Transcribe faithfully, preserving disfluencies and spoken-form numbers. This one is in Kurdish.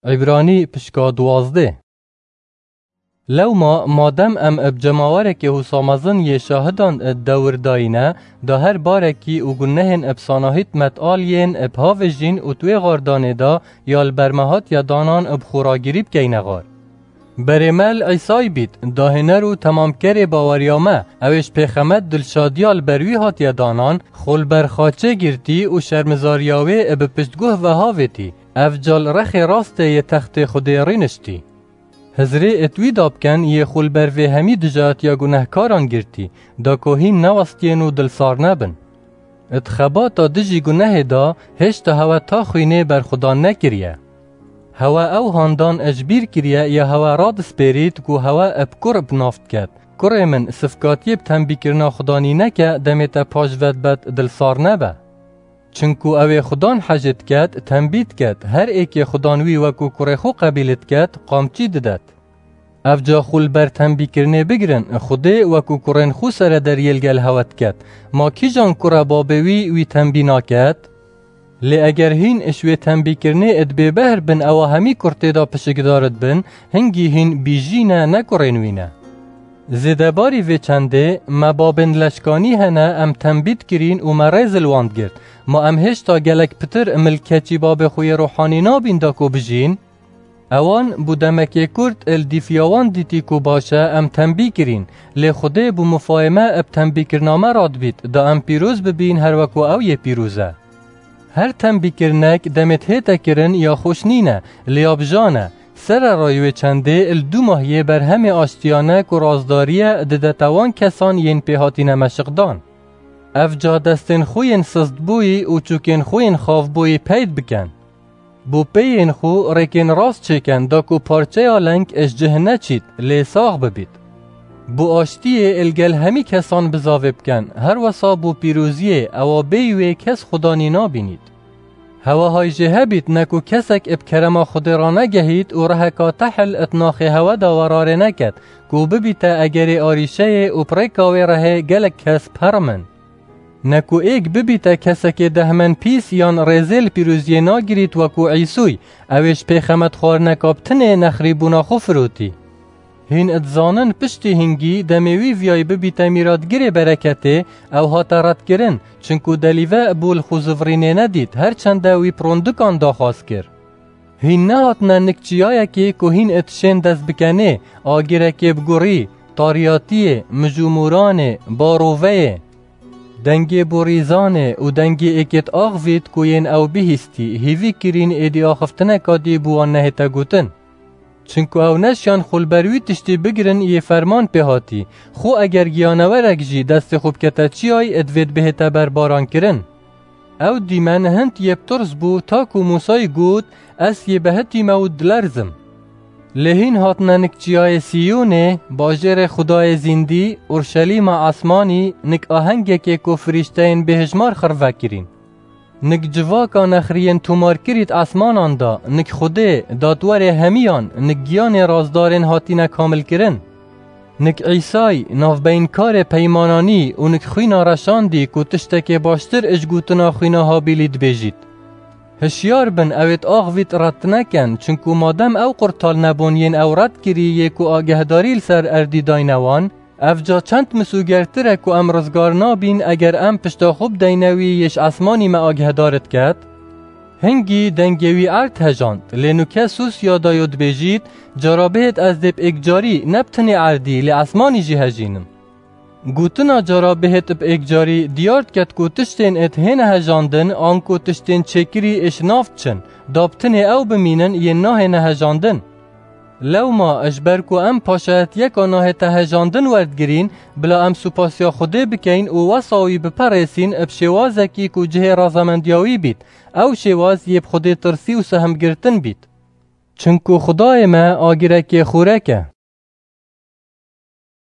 Îbranî pişka duwazdeh. Lewma madem em bi cemawerekê wisa mezin yê şahidan di dewir dayî ne, da her barekî û gunehên bi sanahît met al yên bi havêjîn û di wê xardanê de ya li ber me hatiye danan bi xwe ragirî bikeyne xar. Berê me li Îsay bît, dahêner û temamkerê baweriya me, ew ê ji pêxemet dilşadiya li ber wî hatiye danan, xwe li ber xaçê girtî û şermizariya wê bi piştguh ve havêtî, ev ca li rexê rastê yê textê Xwedê rîniştî. Hizrê it wî da biken yê xwe li ber vê hemî dijatiya gunehkaran girtî, da ku hîn newestiyên û dilsar nebin. Di xebata dijî gunehê de hêşta hewe ta xwînê berxwedan nekiriye. Hewe ew handan ji bîr kiriye ya hewe radispêrît ku hewe bi kur bi nav diket. Kurê min, sifkatiyê bi tembîkirina Xudanî neke, demê te paş ve dibe dilsar nebe. Çinku ew ê Xudan hejê diket, tembî diket, her êkê Xudan wî wekû kurê xwe qebîl diket, qamçî didet. Ev ca xwe li ber tembîkirinê bigirin, Xwedê wekû kurên xwe serederiyê li gel hewe diket. Ma kîjan kure babê wî wî tembî naket? Lê eger hîn ji wê tembîkirinê di bêbehr bin, ewa hemî kur tê de pişikdar dibin, hingî hîn bîjî ne, ne kurên wî ne. Zêdebarî vê çendê, me babên leşkanî hene, em tembî dikirîn û me rêz li wan digirt. Ma em hêşta gelek pitir milkeçî babê xwe yê ruhanî nabîn da ku bijîn? Ewan bû demekê kurt, li dîfiya wan dîtî ku baş e, em tembî kirîn, lê Xwedê bû mifayê me bi tembîkirina me radibît, da em pîroz bibîn her wekû ew yê pîroz e. Her tembîkirinek demê hête kirin ya xweş nîne, lê ya bijan e. Sererayî wê çendê li du mah yê berhemê aştiya ne ku razdariye didete wan kesan yên pê hatine meşiqdan. Ev ca destên xwe yên sistbûyî û çûkên xwe yên xavbûyî peyd biken. Bo pêyên xwe rêkên rast çêken, da ku parçeya leng ji cih neçît, lê sax bibît. Bo aştiyê li gel hemî kesan bizavê biken, her wesa bo pîroziyê, ewa bêyî wê kes Xudanî nabînît. Hewe hay jê hebît, ne ku kesek bi kerema Xwedê ranegehît û reheka tehl di naxê hewe de werarê neket, ku bibîte egerê arîşeyê û bi rêka wê rehê gelek kes biherimin. Ne ku êk bibîte kesekê dehmenpîs yan rêzê li pîroziyê nagirît wekû Îsûy, ew ê ji pêxemet xwarineka bi tinê nexrîbûna xwe firotî. Hîn dizanin piştî hingî demê wî viyayî bibîte mîratgirê bereketê, ew hate redkirin, çinku delîve bû li xwe zivirînê nedît, her çende wî pirondikan daxwaz kir. Hîn nehatine nik çiyayekê ku hîn it şên dest bikenê, agirekê bi gurî, tariyatiyê, mijûmûranê, baroveyê. Dengê borîzanê û dengê êkêt axivît ku yên ew bihîstî, hîvî kirîn êdî axiftineka dî bi wan nehête gotin. Çinku ew neşiyan xwe li ber wî tiştî bigirin yê ferman pê hatî. Xwe eger giyanewerek jî destê xwe bikete çiyayî, divêt bihête berbarankirin. Ew dîmen hind yê bi tirs bû, ta ku Mûsayî got, Ez yê behitî me û dilerzim. Lê hîn hatine nik çiyayê Sîyonê, bajêrê Xwedayê zîndî, Urşelîma esmanî, nik ahengekê ku firîşteyên bêhijmar xirve kirîn. Nik civaka nexriyên tomarkirî di esmanan de, nik Xwedê, datwerê hemiyan, nik giyanê razdarên hatine kamilkirin. Nik Îsay, navbeyinkarê peymananî û nik xwîna reşandî ku tiştekê baştir ji gotina xwîna Habîlî dibêjît. Hişyar bin, ew êt axivît red neken, çinku madem ew qurtal nebûn yên ew red kirî yê ku agehdarî li ser erdî dayne wan, ev ca çend misûgertir e ku em rizgar nabîn eger em pişta xwe bideyne wî yê ji esmanî me agehdar diket? Hingî dengê wî erd hejand, lê nuke Sûsya dayo dibêjît, Cara bihêt ez dê bi êkcarî ne bi tinê erdî, lê esmanî jî hejînim. Gotina cara bihêt bi êkcarî diyar diket ku tiştên êt hêne hejandin, anku tiştên çêkirî êş nav diçin, da bi tinê ew bimînin yên nahêne hejandin. Lewma, ji ber ku em paşayetiyeka nahête hejandin werdigirîn, bila em supasiya Xwedê bikeyn û wesa wî biperêsîn bi şêwazekî ku cihê razemendiya wî bît, ew şêwaz yê bi Xwedê tirsî û sehmgirtin bît. Çinku Xwedayê me agirekê xûrek e.